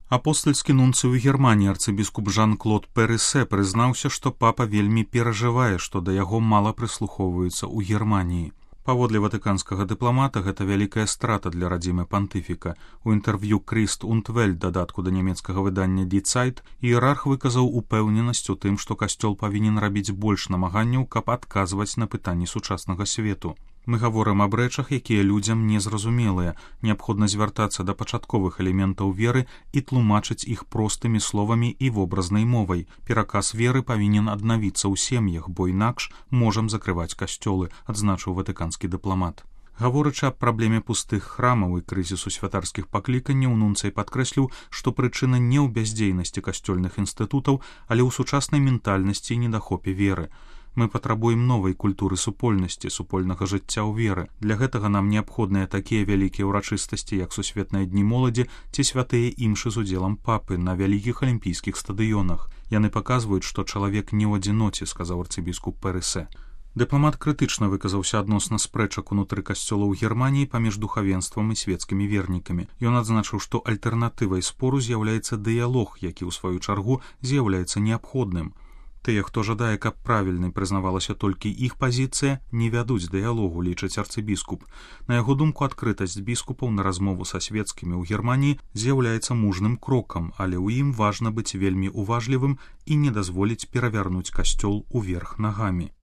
Апостальскі нунцый у Германіі арцыбіскуп Жан-Клод Перысе прызнаўся, што папа вельмі перажывае, што да яго мала прыслухоўваюцца ў Германіі. Паводле ватыканскага дыпламата гэта вялікая страта для радзімы пантыфіка. У інтэрв'ю Крыст und Welt, дадатку да нямецкага выдання Die Zeit, іерарх выказаў упэўненасць у тым, што касцёл павінен рабіць больш намаганняў, каб адказваць на пытанні сучаснага свету. Мы гаворым аб рэчах, якія людзям незразумелыя. Неабходна звяртацца да пачатковых элементаў веры і тлумачыць іх простымі словамі і вобразнай мовай. Пераказ веры павінен аднавіцца ў сем'ях, бо інакш можам закрываць касцёлы, адзначыў ватыканскі дыпламат. Гаворачы аб праблеме пустых храмаў і крызісу святарскіх пакліканняў, нунцый падкрэсліў, што прычына не ў бяздзейнасці касцёльных інстытутаў, але ў сучаснай ментальнасці і недахопе веры. Мы патрабуем новай культуры супольнасці, супольнага жыцця ў веры. Для гэтага нам неабходныя такія вялікія ўрачыстасці, як сусветныя дні моладзі ці святыя імшы з удзелам папы на вялікіх алімпійскіх стадыёнах. Яны паказваюць, што чалавек не ў адзіноце, сказаў арцыбіскуп Перысе. Дыпламат крытычна выказаўся адносна спрэчак унутры касцёлаў Германіі паміж духавенствам і свецкімі вернікамі. Ён адзначыў, што альтэрнатывай спору з'яўляецца дыялог, які ў сваю чаргу з'яўляецца неабходным. Тыя, хто жадае, каб правільнай прызнавалася толькі іх пазіцыя, не вядуць дыялогу, лічыць арцыбіскуп. На яго думку, адкрытасць біскупаў на размову са свецкімі ў Германіі з'яўляецца мужным крокам, але ў ім важна быць вельмі уважлівым і не дазволіць перавярнуць касцёл уверх нагамі.